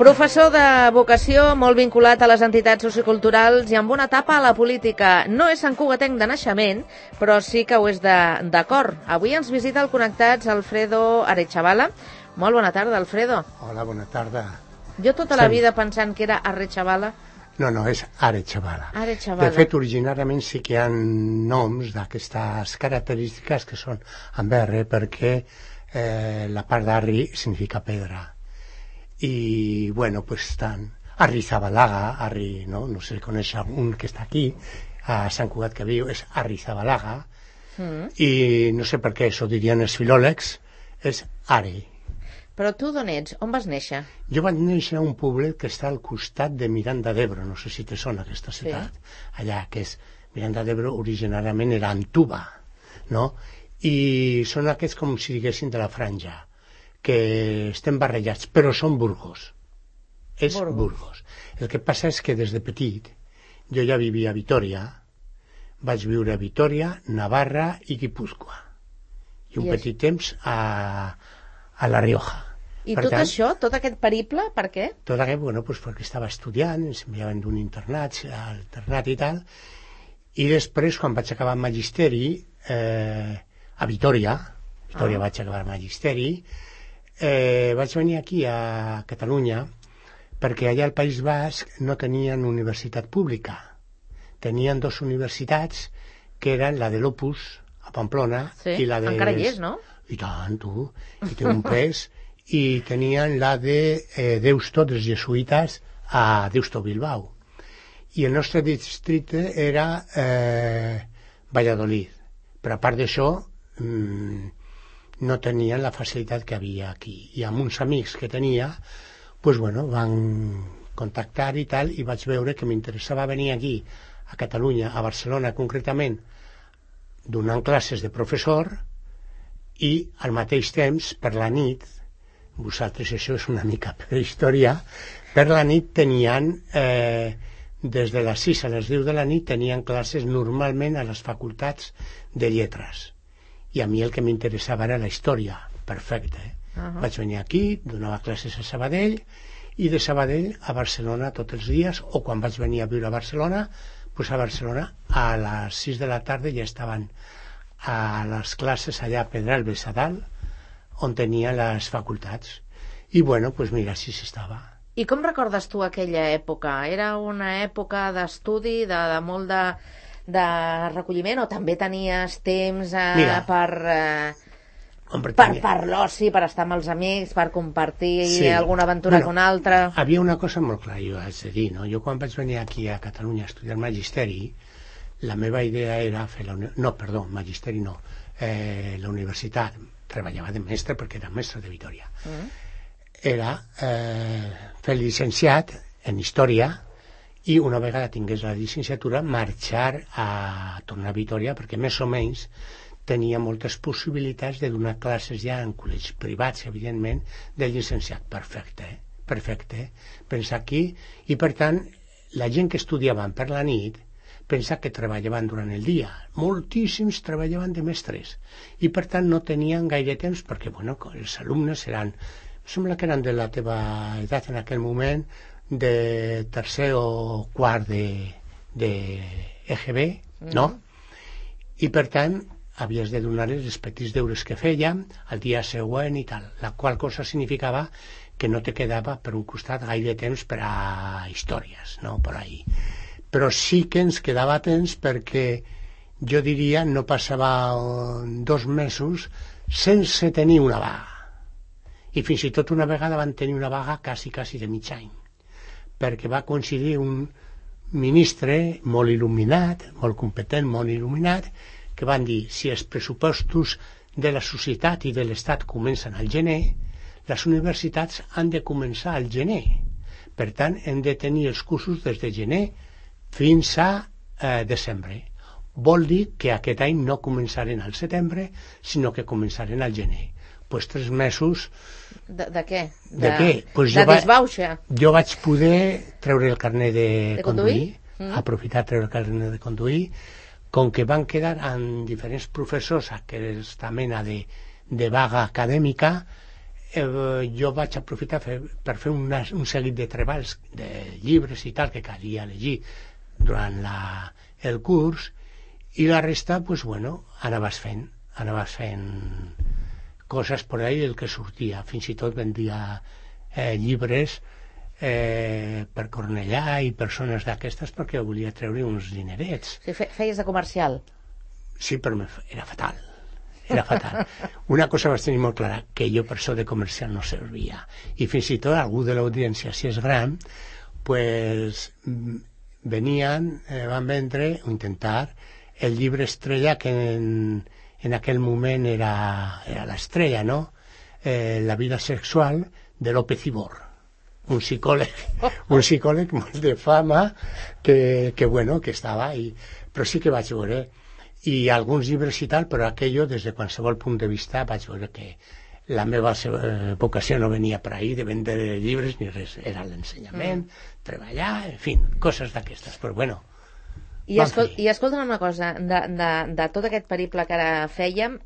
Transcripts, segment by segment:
Professor de vocació, molt vinculat a les entitats socioculturals i amb una etapa a la política. No és santcugatenc de naixement, però sí que ho és de cor. Avui ens visita el Connectats Alfredo Arechavala. Molt bona tarda, Alfredo. Hola, bona tarda. Jo tota la vida pensant que era Arechavala. No, és Arechavala. Arechavala. De fet, originàriament sí que hi ha noms d'aquestes característiques que són amb R, perquè la part d'Arri significa pedra. I, bueno, pues estan Arrizabalaga, Arri, no sé si coneix un que està aquí, a Sant Cugat que viu, és Arrizabalaga, i no sé per què això dirien els filòlegs, és Ari. Però tu d'on ets? On vas néixer? Jo vaig néixer a un poblet que està al costat de Miranda d'Ebro, no sé si te sona aquesta ciutat, allà, que és Miranda d'Ebro, originàriament era Antuba, no? I són aquests com si diguessin de la franja, que estem barrejats, però són Burgos. És Burgos. El que passa és que des de petit jo ja vivia a Vitoria, vaig viure a Vitoria, Navarra i Guipúzcoa. I un petit temps a La Rioja. I tot això, tot aquest periple, per què? Tot aquest, bueno, pues perquè estava estudiant, ens enviaven d'un internat, alternat i tal, i després, quan vaig acabar el magisteri, a Vitoria vaig acabar el magisteri, vaig venir aquí a Catalunya perquè allà al País Basc no tenien universitat pública. Tenien dues universitats que eren la de l'Opus a Pamplona i la de... Encara hi és, no? I tant, tu, i té un pes. I tenien la de Deusto, dels jesuïtes, a Deusto, Bilbao. I el nostre districte era Valladolid. Però a part d'això no tenien la facilitat que havia aquí. I amb uns amics que tenia, pues bueno, van contactar i tal, i vaig veure que m'interessava venir aquí, a Catalunya, a Barcelona concretament, donant classes de professor, i al mateix temps, per la nit, vosaltres això és una mica prehistòria, per la nit tenien, des de les 6 a les 10 de la nit, tenien classes normalment a les facultats de lletres. I a mi el que m'interessava era la història. Perfecte. Vaig venir aquí, donava classes a Sabadell, i de Sabadell a Barcelona tots els dies, o quan vaig venir a viure a Barcelona, doncs a Barcelona a les 6 de la tarda ja estaven a les classes allà a Pedralbes a dalt, on tenia les facultats. I bueno, doncs mira, així s'estava. I com recordes tu aquella època? Era una època d'estudi, de molt de recolliment, o també tenies temps per l'oci, per estar amb els amics, per compartir alguna aventura con altra? Havia una cosa molt clara, jo haig de dir, no? Jo quan vaig venir aquí a Catalunya a estudiar magisteri, la meva idea era fer la universitat. Treballava de mestre perquè era mestre de Vitoria. Era fer el llicenciat en història i una vegada tingués la llicenciatura marxar a tornar a Vitoria, perquè més o menys tenia moltes possibilitats de donar classes ja en col·legis privats, evidentment, del llicenciat. Perfecte. Pensa aquí, i per tant la gent que estudiaven per la nit pensa que treballaven durant el dia. Moltíssims treballaven de mestres i per tant no tenien gaire temps perquè, bueno, els alumnes eren, sembla que eren de la teva edat en aquell moment, de tercer o quart de EGB, no? I per tant havies de donar-les els petits deures que fèiem el dia següent i tal, la qual cosa significava que no te quedava per un costat gaire temps per a històries, no? Per ahí. Però sí que ens quedava temps perquè jo diria no passava 2 mesos sense tenir una vaga. I fins i tot una vegada van tenir una vaga quasi de mig any, perquè va coincidir un ministre molt il·luminat, molt competent, molt il·luminat, que van dir, si els pressupostos de la societat i de l'Estat comencen al gener, les universitats han de començar al gener. Per tant, hem de tenir els cursos des de gener fins a desembre. Vol dir que aquest any no començaren al setembre, sinó que començaren al gener. Pues 3 mesos... De què? De què? Pues de disbauxa? Jo vaig poder treure el carnet de conduir, aprofitar treure el carnet de conduir, com que van quedar amb diferents professors aquesta mena de vaga acadèmica, jo vaig aprofitar per fer un seguit de treballs de llibres i tal que calia llegir durant el curs, i la resta, pues, bueno, anaves fent coses per ahí, el que sortia. Fins i tot vendia llibres per Cornellà i persones d'aquestes, perquè volia treure uns dinerets. Sí, feies de comercial? Sí, però era fatal. Era fatal. Una cosa vaig tenir molt clara, que jo per això de comercial no servia. I fins i tot algú de l'audiència, si és gran, pues venien, van vendre o intentar el llibre estrella que en aquell moment era l'estrella, no? La vida sexual de López Ibor, un psicòleg molt de fama que estava ahí. Però sí que vaig veure, i alguns llibres i tal, però aquello des de qualsevol punt de vista vaig veure que la meva vocació no venia per ahí de vendre llibres ni res, era l'ensenyament, treballar, en fi, coses d'aquestes, però bueno. I escolta'm una cosa, de tot aquest periple que ara fèiem,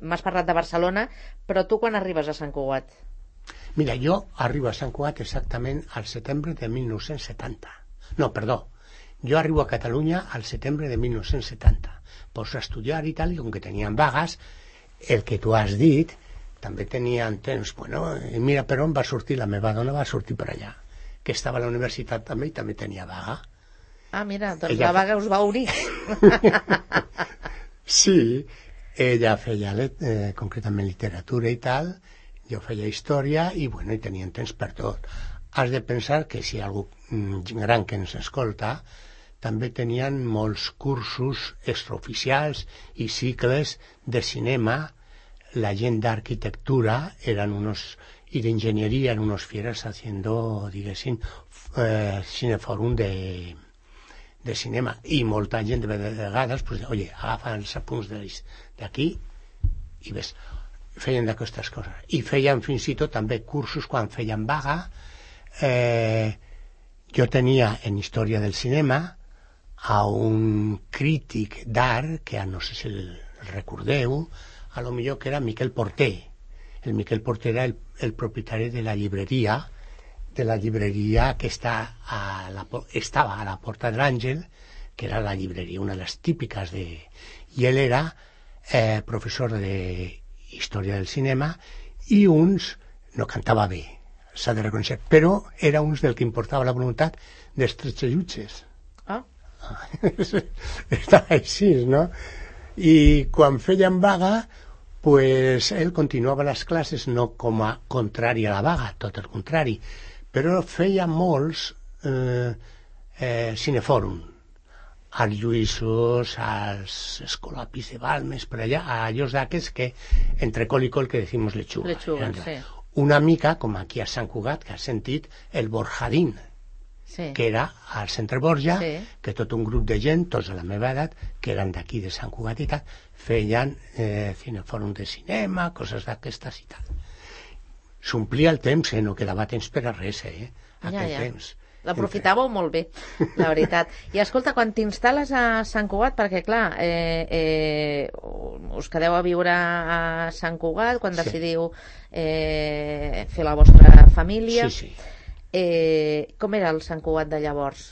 m'has parlat de Barcelona, però tu quan arribes a Sant Cugat? Mira, jo arribo a Sant Cugat exactament al setembre de 1970. No, perdó, jo arribo a Catalunya al setembre de 1970. Pots estudiar i tal, i com que tenien vagues, el que tu has dit, també tenien temps. Bueno, mira per on va sortir, la meva dona va sortir per allà, que estava a la universitat també i també tenia vaga. Ah, mira, doncs la vaga us va unir. Sí, ella feia concretament literatura i tal, jo feia història i, bueno, i tenien temps per tot. Has de pensar que si hi ha algú gran que ens escolta, també tenien molts cursos extraoficials i cicles de cinema. La gent d'arquitectura y de ingeniería eran unos fieras haciendo, diguéssim, cinefòrum de cinema, i molta gent de vegades pues, oye, agafa els apunts d'aquí i ves, feien d'aquestes coses, i feien fins i tot també cursos quan feien vaga. Jo tenia en història del cinema a un crític d'art, que no sé si el recordeu, a lo millor, que era Miquel Porter. El Miquel Porter era el propietari de la llibreria que estava a la Porta de l'Àngel, que era la llibreria, una de les típiques i ell era professor de història del cinema, i no cantava bé, s'ha de reconèixer, però era del que importava la voluntat dels tretxellutxes. Està així, no? I quan feien vaga, pues ell continuava les classes, no com a contrari a la vaga, tot el contrari, però feia molts cinefòrum, als Lluïssos, als Escolapis de Balmes, per allà, a allòs d'aquests que entre col i col que decimos lechuga. Sí. Una mica com aquí a Sant Cugat, que has sentit el Borjadín, sí, que era al centre Borja, sí, que tot un grup de gent, tots a la meva edat, que eren d'aquí de Sant Cugat i tal, feien cinefòrum de cinema, coses d'aquestes i tal. S'omplia el temps, no quedava temps per a res, aquell temps. L'aprofitàveu molt bé, la veritat. I escolta, quan t'instal·les a Sant Cugat, perquè clar, us quedeu a viure a Sant Cugat quan decidiu fer la vostra família. Sí. Com era el Sant Cugat de llavors?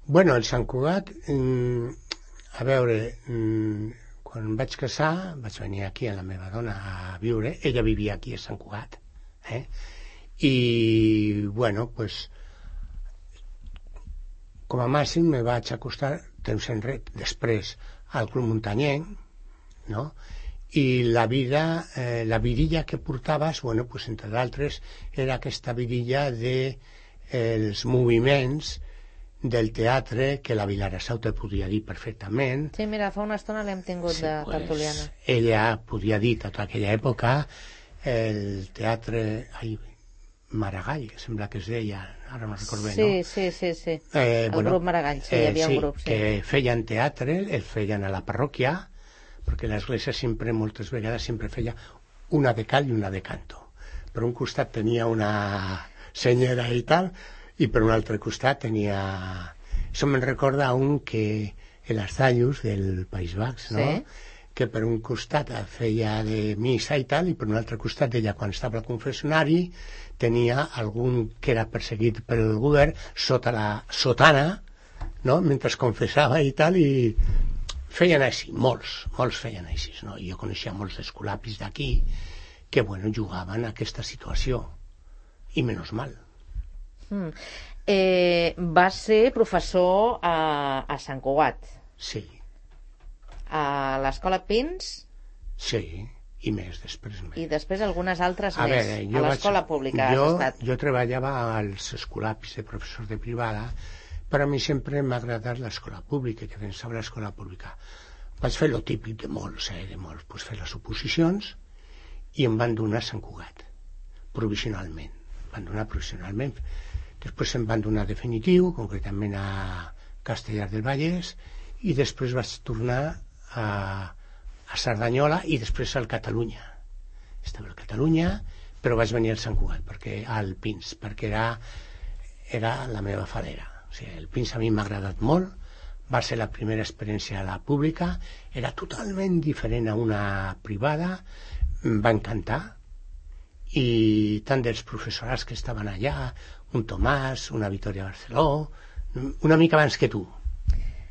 Bueno, el Sant Cugat, a veure, quan em vaig casar, vaig venir aquí amb la meva dona a viure, ella vivia aquí a Sant Cugat, i, bueno, pues, com a màxim me vaig acostar temps enrere, després al Club Muntanyenc, no? I la vida, la virilla que portaves, bueno, pues, entre d'altres, era aquesta virilla dels moviments del teatre, que la Vilarassau te podia dir perfectament. Sí, mira, fa una estona l'hem tingut de tertuliana. Ella podia dir tota aquella època el teatre Maragall, sembla que es deia, ara no recordo bé, no? Sí. El grup Maragall, sí, hi havia un grup. Sí, que feien teatre, el feien a la parròquia, perquè l'església sempre, moltes vegades, sempre feia una de cal i una de canto. Per un costat tenia una senyera i tal, i per un altre costat tenia... Això me'n recorda un que, el Arzallus del País Baix, no? Sí. que per un costat feia de missa i tal, i per un altre costat ella, quan estava al confessionari, tenia algun que era perseguit pel govern sota la sotana, no?, mentre confessava i tal, i feien així, molts feien així, no? I jo coneixia molts escolapis d'aquí que, bueno, jugaven a aquesta situació, i menys mal. Va ser professor a Sant Cugat. Sí. A l'escola Pins? Sí, i més, després més. I després algunes altres a més. Veure, a l'escola pública has estat. Jo treballava als escolapis de professors de privada, però a mi sempre m'ha agradat l'escola pública, que pensava l'escola pública. Vaig fer lo típic de molts, pues fer les oposicions, i em van donar a Sant Cugat, provisionalment. Després em van donar definitiu, concretament a Castellar del Vallès, i després vaig tornar a Cerdanyola i després al Catalunya. Estava al Catalunya, però vaig venir al Sant Cugat, al Pins, perquè era la meva fadera. O sigui, el Pins a mi m'ha agradat molt, va ser la primera experiència a la pública, era totalment diferent a una privada, em va encantar, i tant dels professorats que estaven allà, un Tomàs, una Victòria Barceló, una mica abans que tu,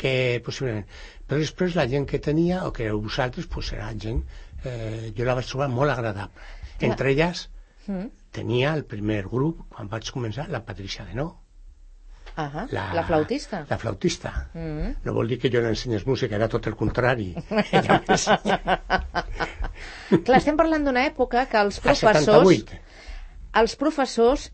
que possiblement. Però després la gent que tenia, o que vosaltres, pues era gent, jo la vaig trobar molt agradable. Entre elles, tenia el primer grup, quan vaig començar, la Patricia Denó. La flautista. La flautista. No vol dir que jo l'ensenyés música, era tot el contrari. Ella m'ensenya. Clar, estem parlant d'una època que els professors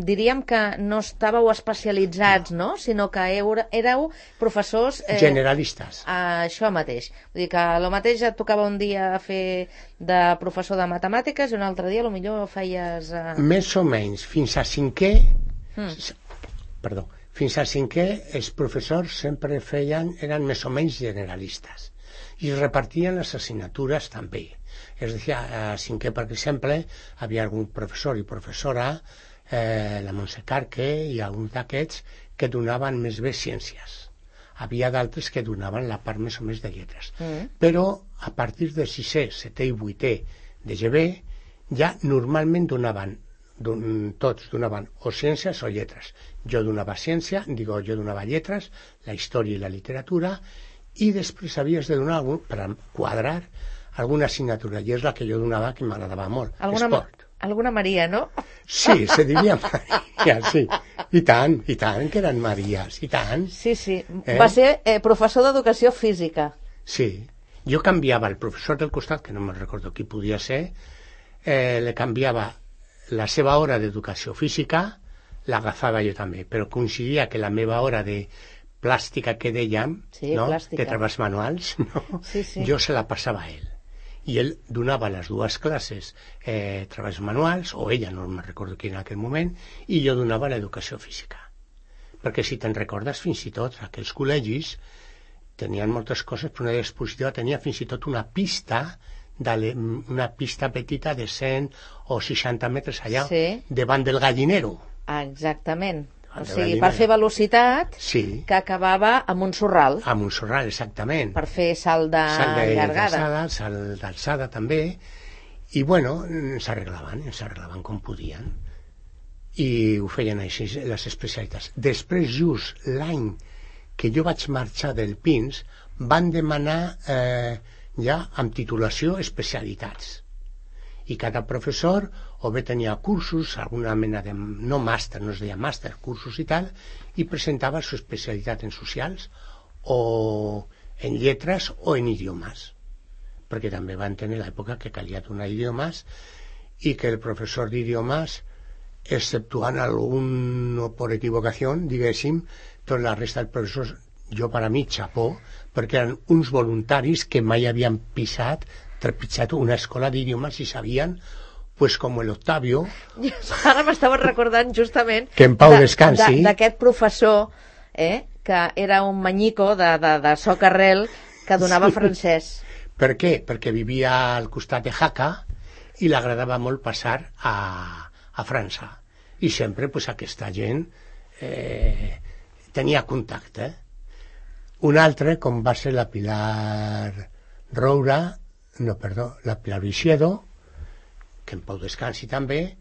diríem que no estàveu especialitzats, no? Sinó que éreu professors generalistes. Això mateix. Vull dir que el mateix et tocava un dia fer de professor de matemàtiques i un altre dia potser feies... Més o menys, fins a cinquè els professors sempre eren més o menys generalistes i es repartien les assignatures també. És a dir, a cinquè, per exemple, havia algun professor i professora, la Montse Carque i alguns d'aquests, que donaven més bé ciències. Havia d'altres que donaven la part més o més de lletres. Però a partir de 6è, 7è i 8è de GB ja normalment tots donaven o ciències o lletres. Jo donava jo donava lletres, la història i la literatura, i després havies de donar per quadrar alguna assignatura, i és la que jo donava, que m'agradava molt. Esport. Alguna Maria, no? Sí, se diria Maria, sí. I tant, que eren Maries, i tant. Sí. Va ser professor d'educació física. Sí. Jo canviava el professor del costat, que no me'n recordo qui podia ser, le canviava la seva hora d'educació física, l'agafava jo també, però coincidia que la meva hora de plàstica que dèiem, de treballs manuals, jo se la passava a ell. I ell donava les dues classes treballs manuals, o ella, no me'n recordo quin en aquell moment, i jo donava l'educació física. Perquè si te'n recordes, fins i tot aquells col·legis tenien moltes coses, però una dispositiva tenia fins i tot una pista petita de 100 o 60 metres allà, davant del gallinero. Exactament. O sigui, per fer velocitat, que acabava a Montsorral. A Montsorral, exactament. Per fer salt de llargada. Salt d'alçada també. I, bueno, s'arreglaven com podien. I ho feien així, les especialitats. Després, just l'any que jo vaig marxar del Pins, van demanar ja amb titulació especialitats. I cada professor o bé tenia cursos, alguna mena de... no màster, no es deia màster, cursos i tal, i presentava su especialitat en socials o en lletres o en idiomes, perquè també van tenir l'època que calia donar idiomes i que el professor d'idiomes, exceptuant algun per equivocació, diguéssim, tota la resta dels professors, jo per a mi, xapó, perquè eren uns voluntaris que mai havien trepitjat una escola d'idiomes i sabien, pues com l'Octavio... Ara m'estava recordant justament que en pau descansi d'aquest professor que era un manyico de soc arrel que donava francès. Per què? Perquè vivia al costat de Jaca i l'agradava molt passar a França. I sempre pues, aquesta gent tenia contacte. Un altre, com va ser la Pilar Roura, no, perdó, la Pilar Vixedo, que en pau descansi també,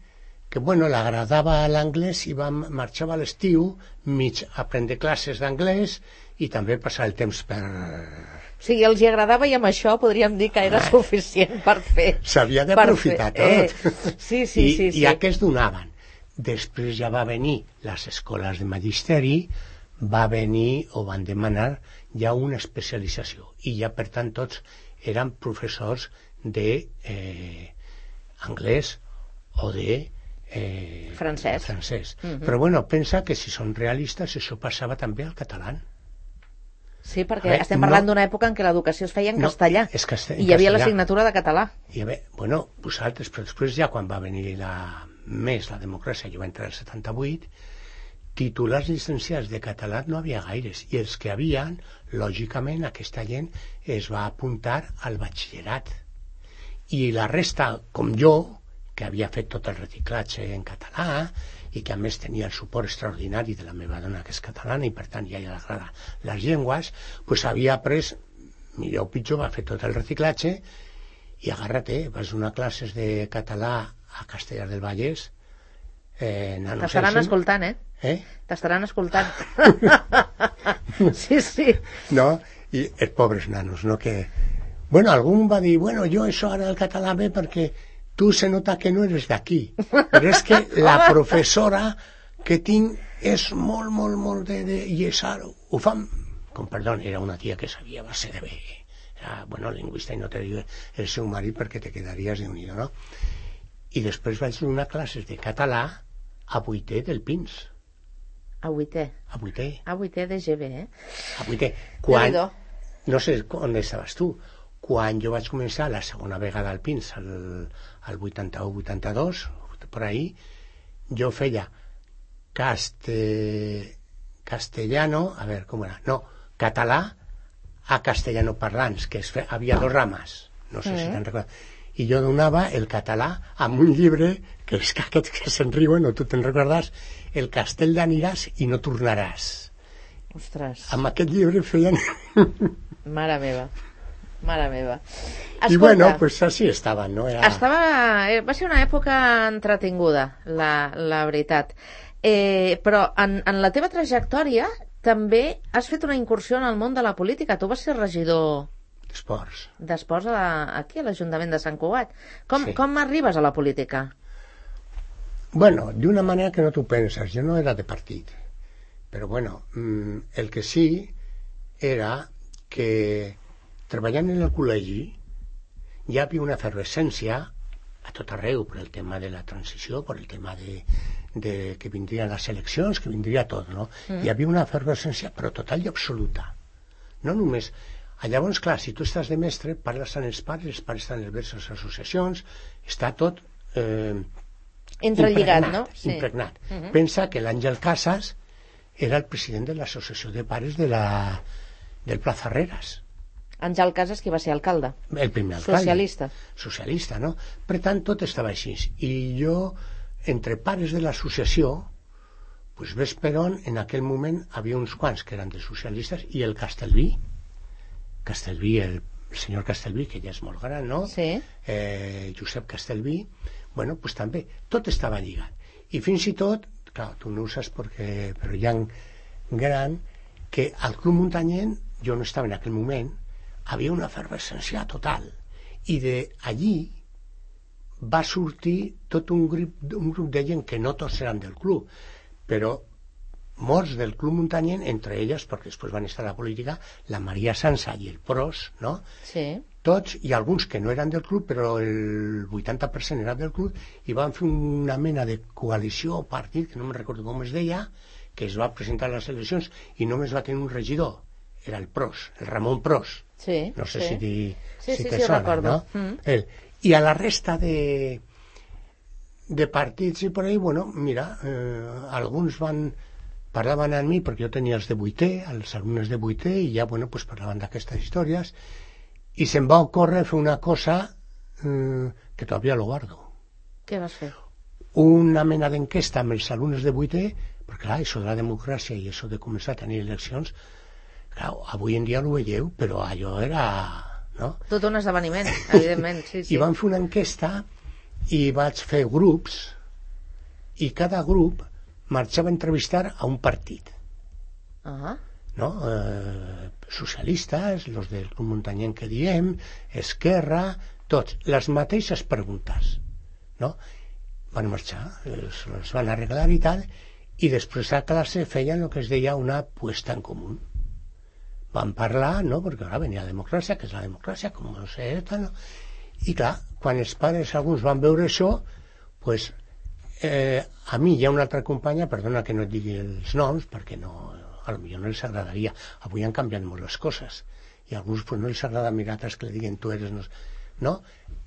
que bueno, l'agradava l'anglès i marxava a l'estiu mig a prendre classes d'anglès i també passar el temps per... O sigui, els hi agradava i amb això podríem dir que era suficient per fer. S'havia d'aprofitar tot. Sí. I aquests donaven. Després ja va venir les escoles de magisteri, va venir o van demanar ja una especialització i ja per tant tots eren professors de anglès o de francès. Però bueno, pensa que si són realistes això passava també al català. Sí, perquè estem parlant d'una època en què l'educació es feia en castellà i hi havia l'assignatura de català. Bueno, vosaltres, però després ja quan va venir la democràcia, jo va entrar el 78, titulars llicenciats de català no havia gaires, i els que havien, lògicament, aquesta gent es va apuntar al batxillerat. I la resta, com jo, que havia fet tot el reciclatge en català i que a més tenia el suport extraordinari de la meva dona, que és catalana, i per tant ja li agrada les llengües, doncs havia après, millor o pitjor, va fer tot el reciclatge i agarra-te, vas donar classes de català a Castellar del Vallès. T'estaran escoltant, T'estaran escoltant. Sí. No? I els pobres nanos, no? Que... Bueno, algú va dir, bueno, jo això ara el català bé perquè tu se nota que no eres d'aquí. Però és que la professora que tinc és molt de... I és ara, ho fan... Com, perdó, era una tia que sabia base de bé. Era, bueno, lingüista, i no te dic el seu marit perquè te quedaries de unido, no? I després vaig donar classes de català a 8è del Pins. A 8è? A 8è. A 8è de GB, A 8è. Quan... No sé on estaves tu. Quan jo vaig començar la segona vegada al Pins, al 81-82, per ahí, jo feia castellano, a veure, com era? No, català a castellano parlants, que havia dos rames, no sé si te'n recordes. I jo donava el català amb un llibre, que és que aquests que se'n riuen, o tu te'n recordes, El castell d'aniràs i no tornaràs. Ostres. Amb aquest llibre feien... Mare meva. Escolta, i bueno, pues así estaven, no? Va ser una època entretinguda, la veritat. Però en la teva trajectòria també has fet una incursió en el món de la política. Tu vas ser regidor d'Esports aquí a l'Ajuntament de Sant Cugat. Com arribes a la política? Bueno, d'una manera que no t'ho penses. Jo no era de partit. Però bueno, el que sí era que treballant en el col·legi hi havia una efervescència a tot arreu per el tema de la transició, per el tema de que vindrien les eleccions, que vindria tot, no? Hi havia una efervescència però total i absoluta. No només... Llavors, clar, si tu estàs de mestre, parles amb els pares estan en diverses associacions, està tot entrelligat, no? Impregnat. Pensa que l'Àngel Casas era el president de l'associació de pares del Plaza Herreras. Àngel Casas, qui va ser alcalde. El primer alcalde. Socialista, no? Per tant, tot estava així. I jo, entre pares de l'associació, pues ves per on, en aquell moment, havia uns quants que eren de socialistes, i el Castellví, el senyor Castellví, que ja és molt gran, no? Sí. Josep Castellví, bueno, pues també, tot estava lligat. I fins i tot, clar, tu no ho saps perquè, però hi ha gran, que al Club Muntanyent, jo no estava en aquell moment, havia una efervescència total. I d'allí va sortir tot un grup de gent que no tots eren del club, però molts del Club Muntanyent, entre elles, perquè després van estar a la política, la Maria Sansa i el Pros, no? Sí. Tots, i alguns que no eren del club, però el 80% eren del club, i van fer una mena de coalició o partit, que no me'n recordo com es deia, que es va presentar a les eleccions i només va tenir un regidor, era el Pros, el Ramon Pros. Sí, no sé si te sona, recordo. No? I a la resta de partits i per ahí, bueno, mira, alguns parlaven amb mi perquè jo tenia els de 8è, els alumnes de 8è, i ja, bueno, pues parlaven d'aquestes històries, i se'm va ocórrer fer una cosa que todavía lo guardo. Què vas fer? Una mena d'enquesta amb els alumnes de 8è, perquè clar, això de la democràcia i això de començar a tenir eleccions, clar, avui en dia ho veieu, però allò era no? Tot un esdeveniment, evidentment, sí. I vam fer una enquesta i vaig fer grups i cada grup marxava a entrevistar a un partit. No? Socialistes, los del Club Muntanyenc que diem, Esquerra, tots, les mateixes preguntes, no? Van marxar, es van arreglar i tal, i després a classe feien el que es deia una puesta en comú. Van parlar, no?, perquè ara venia la democràcia, que és la democràcia, com no sé, no? I clar, quan els pares alguns van veure això, pues, a mi hi ha una altra companya, perdona que no et digui els noms, perquè no, a lo millor no els agradaria, avui han canviat molt les coses, i a alguns pues, no els agrada mirar altres que li diguen tu eres... No?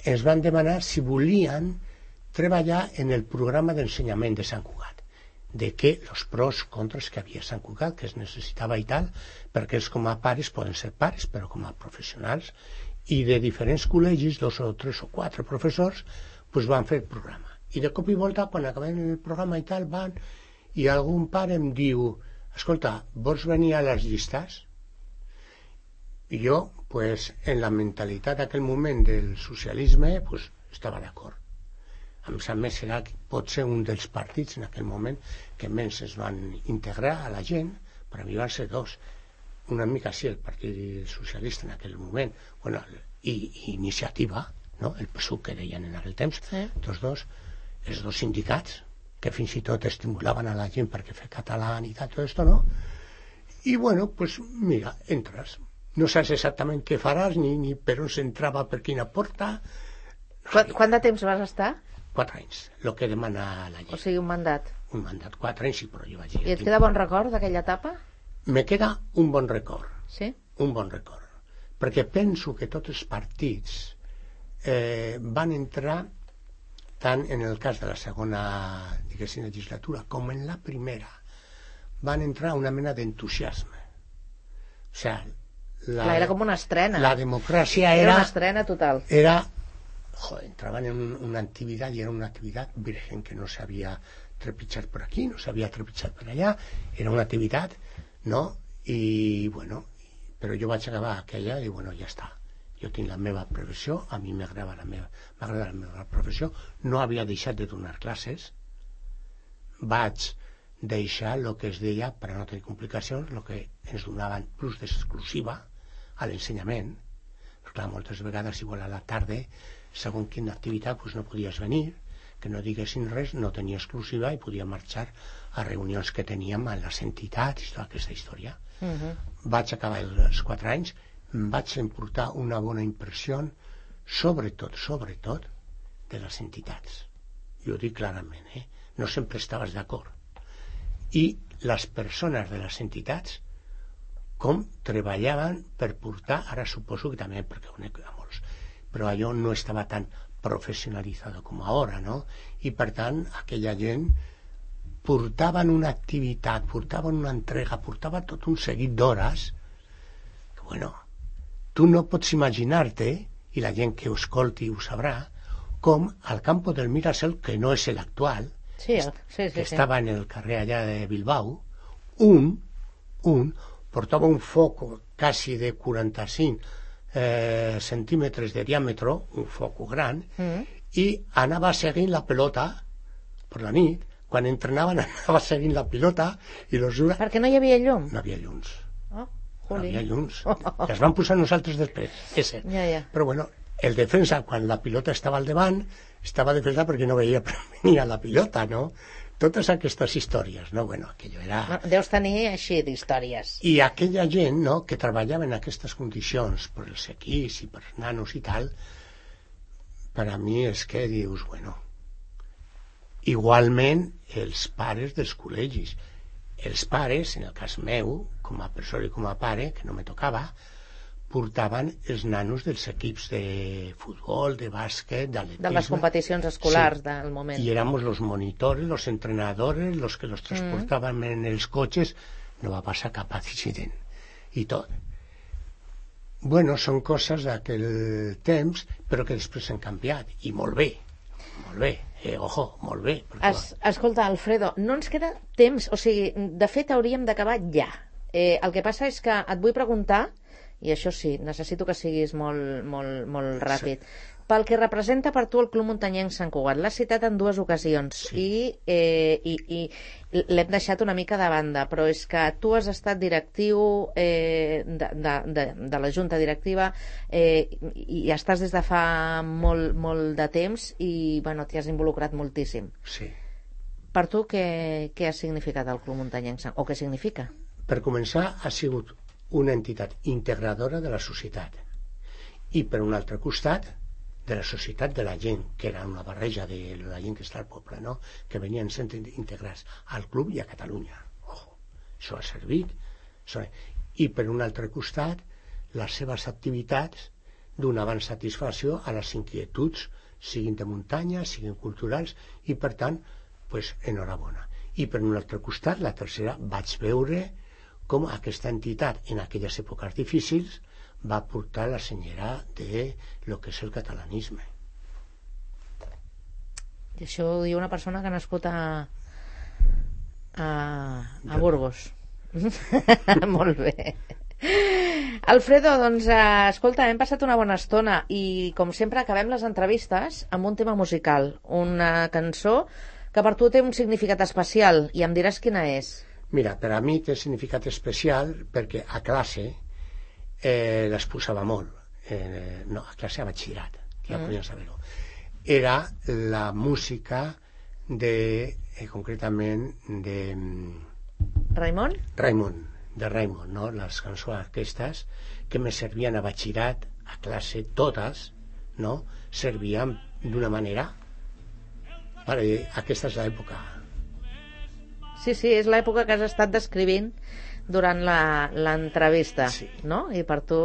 Ens van demanar si volien treballar en el programa d'ensenyament de Sant Cugat, de què els pros, contres que havia a Sant Cugat, que es necessitava i tal, perquè ells com a pares poden ser pares, però com a professionals, i de diferents col·legis, 2 o 3 o 4 professors, pues van fer el programa. I de cop i volta, quan acabem el programa i tal, van, i algun pare em diu, escolta, vols venir a les llistes? I jo, pues, en la mentalitat d'aquell moment del socialisme, pues, estava d'acord. A més, serà potser un dels partits en aquell moment que menys es van integrar a la gent, per a mi van ser 2. Una mica sí, el Partit Socialista en aquell moment, bueno, i Iniciativa, no? El PSUC que deien en aquell temps, sí. Els 2 sindicats, que fins i tot estimulaven a la gent perquè fer català i tot esto, no? I bueno, pues mira, entres. No saps exactament què faràs, ni per on s'entrava, per quina porta. Quant de temps vas estar? 4 anys, el que demana la llei. O sigui, un mandat. Un mandat, 4 anys, sí, però jo vaig dir... I et queda bon record d'aquella etapa? Me queda un bon record. Sí? Un bon record. Perquè penso que tots els partits van entrar, tant en el cas de la segona, diguéssim, legislatura, com en la primera, van entrar una mena d'entusiasme. O sigui, era com una estrena. La democràcia era... Era una estrena total. Entraban en una actividad y era una actividad virgen que no sabía trepitjar por aquí, no sabía trepitjar por allá, era una actividad, ¿no? Y bueno, però jo vaig acabar aquella i bueno, ja està. Jo tinc la meva professió, a mi m'agrada la meva professió, no havia deixat de donar classes, vaig deixar el que es deia, per a no tenir complicacions, el que ens donaven plus d'exclusiva a l'ensenyament. Clar, moltes vegades, igual a la tarda, segons quina activitat, doncs no podies venir, que no diguessin res, no tenia exclusiva i podia marxar a reunions que teníem a les entitats i tota aquesta història. Vaig acabar els 4 anys, vaig emportar una bona impressió, sobretot, de les entitats. Jo ho dic clarament, no sempre estaves d'acord. I les persones de les entitats, com treballaven per portar, ara suposo que també, perquè ho conec a molts, però allò no estava tan professionalitzat com ara, no? I per tant, aquella gent portaven una activitat, portaven una entrega, portaven tot un seguit d'hores que, bueno, tu no pots imaginar-te, i la gent que ho escolti ho sabrà, com al Campo del Mirasol, que no és l'actual, que estava en el carrer allà de Bilbao, un portava un foc quasi de 45 centímetres de diàmetre, un foc gran, i anava seguint la pelota per la nit. Quan entrenaven anava seguint la pilota i perquè no hi havia llum? No havia llums. No havia llums. I es van posar nosaltres després, és cert. Però bueno, el defensa, quan la pilota estava al davant, estava defensat perquè no veia per on venia la pilota, no? Totes aquestes històries, no? Bueno, aquello era... Deus tenir així d'històries. I aquella gent, no?, que treballava en aquestes condicions per els equips i per els nanos i tal, per a mi és que dius, bueno, igualment els pares dels col·legis. Els pares, en el cas meu, com a persona i com a pare, que no me tocava, portaven els nanos dels equips de futbol, de bàsquet, d'atletisme. De les competicions escolars del moment. Y éramos los monitores, los entrenadores, los que los transportaban en els cotxes. No va passar cap accident. I tot. Bueno, són coses d'aquell temps, però que després han canviat. I molt bé. Molt bé. Ojo, molt bé. Escolta, Alfredo, no ens queda temps. O sigui, de fet, hauríem d'acabar ja. El que passa és que et vull preguntar I això sí, necessito que siguis molt ràpid. Pel que representa per tu el Club Muntanyenc Sant Cugat, l'has citat en 2 ocasions i l'hem deixat una mica de banda, però és que tu has estat directiu de la Junta Directiva i estàs des de fa molt de temps i t'hi has involucrat moltíssim. Sí. Per tu què ha significat el Club Muntanyenc o què significa? Per començar, ha sigut una entitat integradora de la societat i per un altre costat de la societat de la gent, que era una barreja de la gent que està al poble, no? Que venien sent integrats al club i a Catalunya. Ojo, això ha servit. I per un altre costat, les seves activitats donaven satisfacció a les inquietuds, siguin de muntanya, siguin culturals, i per tant, enhorabona. I per un altre costat, la tercera, vaig veure com aquesta entitat, en aquelles èpoques difícils, va portar la senyera de lo que és el catalanisme. I això ho diu una persona que ha nascut a Burgos. Molt bé. Alfredo, doncs, escolta, hem passat una bona estona i, com sempre, acabem les entrevistes amb un tema musical, una cançó que per tu té un significat especial, i em diràs quina és. Mira, per a mi té significat especial perquè a classe les posava molt. No, a classe a batxillerat, que ja podien saber-ho. Era la música concretament de Raimon? De Raimon, no? Les cançons aquestes que me servien a batxillerat, a classe, totes, no? Servien d'una manera. Aquesta és l'època. Sí, és l'època que has estat descrivint durant l'entrevista, no? I per tu,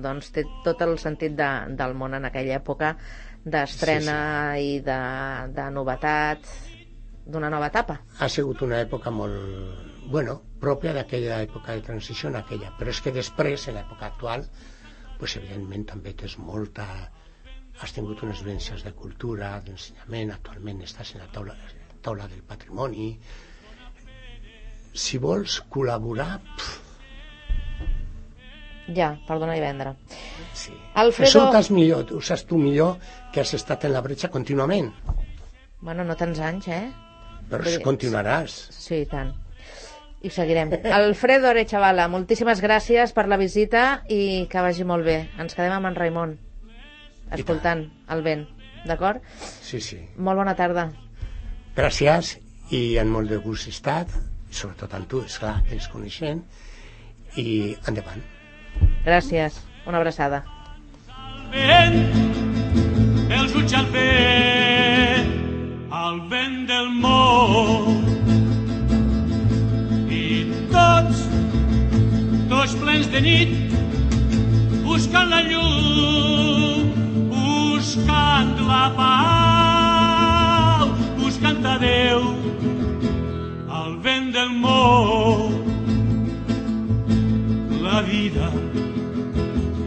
doncs, té tot el sentit del món en aquella època d'estrena i de novetat, d'una nova etapa. Ha sigut una època molt, pròpia d'aquella època de transició en aquella, però és que després, en l'època actual, evidentment també tens has tingut unes vivències de cultura, d'ensenyament, actualment estàs en la taula del patrimoni. Si vols col·laborar... Ja, per donar i vendre. Sí. Alfredo... Ho saps tu millor, que has estat en la bretxa contínuament. Bueno, no tants anys, Però continuaràs. Sí, i tant. I seguirem. Alfredo Arechavala, moltíssimes gràcies per la visita i que vagi molt bé. Ens quedem amb en Raimon, escoltant el vent, d'acord? Sí. Molt bona tarda. Gràcies i en molt de gust estat, sobretot amb tu, esclar, que ens coneixem, i endavant. Gràcies, una abraçada. Els ulls al vent del món, i tots plens de nit, buscant la llum, buscant la pau, buscant a Déu, al vent del món. La vida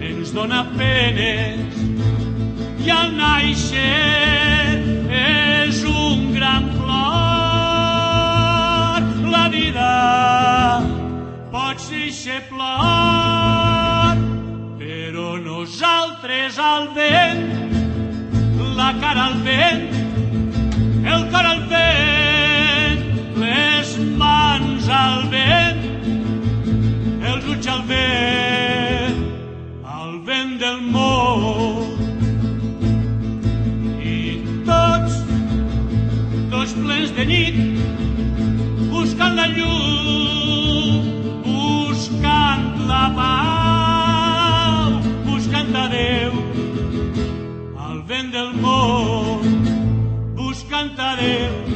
ens dona penes i al naixer és un gran plor. La vida pot ser plor, però nosaltres al vent, la cara al vent, el cor al vent, les mans al vent, els ulls al vent del món. I tots plens de nit, buscant la llum, buscant la pau, buscant a Déu, al vent del món, buscant a Déu.